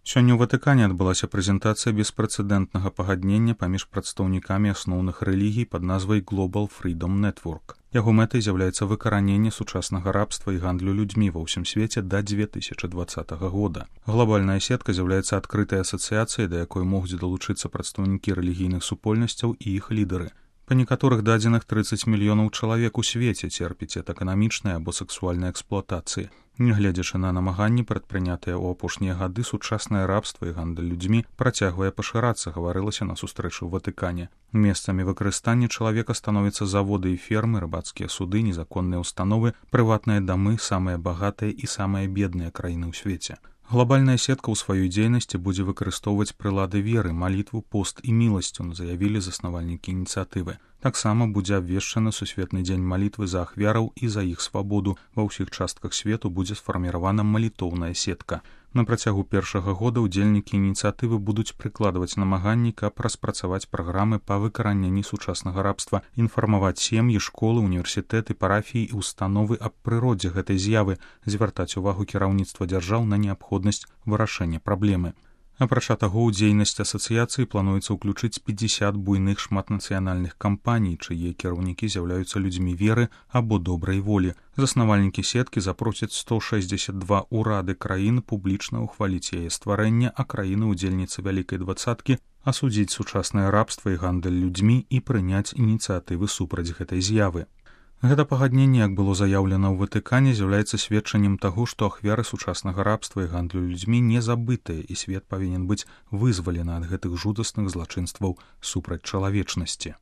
Сёння ў Ватыкане адбылася прэзентацыя беспрэцэдэнтнага пагаднення паміж прадстаўнікамі асноўных рэлігій пад назвай Global Freedom Network. Яго мэтай з'яўляецца выкараненне сучаснага рабства і гандлю людзьмі ва ўсім свеце да 2020 года. Глобальная сетка з'яўляецца адкрытай асацыяцыяй, да якой могуць далучыцца прадстаўнікі рэлігійных супольнасцяў і іх лідары. Па некаторых дадзеных 30 мільёнаў чалавек у свеце церпіць ад эканамічнай або сексуальнай эксплуатацыі. Нягледзячы на намаганні, прадпрынятыя ў апошнія гады, сучаснае рабства і гандаль людзьмі працягвае пашырацца, гаварылася на сустрэчы ў Ватыкане. Месцамі выкарыстання чалавека становяцца заводы і фермы, рыбацкія суды, незаконныя ўстановы, прыватныя дамы, самыя багатыя і самыя бедныя краіны ў свеце. Глобальная сетка ў сваёй дзейнасці будзе выкарыстоўваць прылады веры, малітву, пост і міласцю, заявілі заснавальнікі ініцыятывы. Таксама будзе абвешчаны сусветны дзень малітвы за ахвяраў і за іх свабоду. Ва ўсіх частках свету будзе сфарміравана малітоўная сетка. На працягу першага года ўдзельнікі ініцыятывы будуць прыкладваць намаганні, каб распрацаваць праграмы па выкараненні сучаснага рабства, інфармаваць сем'і, школы, універсітэты, парафіі і установы аб прыродзе гэтай з'явы, звяртаць увагу кіраўніцтва дзяржаў на неабходнасць вырашэння праблемы. Апрача таго, у дзейнасць асацыяцыі плануецца ўключыць 50 буйных шматнацыянальных кампаній, чые кіраўнікі з'яўляюцца людзьмі веры або добрай волі. Заснавальнікі сеткі запросяць 162 урады краін публічна ўхваліць яе стварэнне, а краіны-удзельніцы Вялікай дваццаткі асудзіць сучаснае рабства і гандаль людзьмі і прыняць ініцыятывы супраць гэтай з'явы. Гэта пагадненне, як было заяўлена ў Ватыкане, з'яўляецца сведчаннем таго, што ахвяры сучаснага рабства і гандлю людзьмі не забытыя, і свет павінен быць вызвалены ад гэтых жудасных злачынстваў супраць чалавечнасці.